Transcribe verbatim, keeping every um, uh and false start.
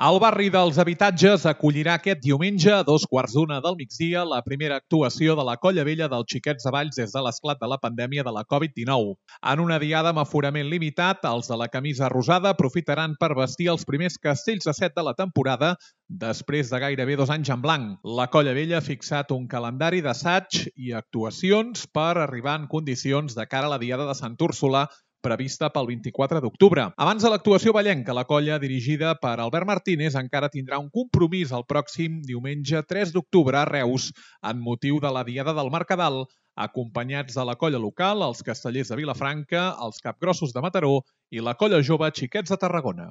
El barri dels Habitatges acollirà aquest diumenge a dos quarts d'una del migdia la primera actuació de la Colla Vella dels Xiquets de Valls des de l'esclat de la pandèmia de la Covid dinou. En una diada amb aforament limitat, els de la camisa rosada aprofitaran per vestir els primers castells de set de la temporada després de gairebé dos anys en blanc. La Colla Vella ha fixat un calendari d'assaig i actuacions per arribar en condicions de cara a la diada de Sant Úrsula, prevista pel vint-i-quatre d'octubre. Abans de l'actuació ballenca, la colla dirigida per Albert Martínez encara tindrà un compromís el pròxim diumenge tres d'octubre a Reus en motiu de la Diada del Mercadal, acompanyats de la colla local, els castellers de Vilafranca, els capgrossos de Mataró i la colla jove Xiquets de Tarragona.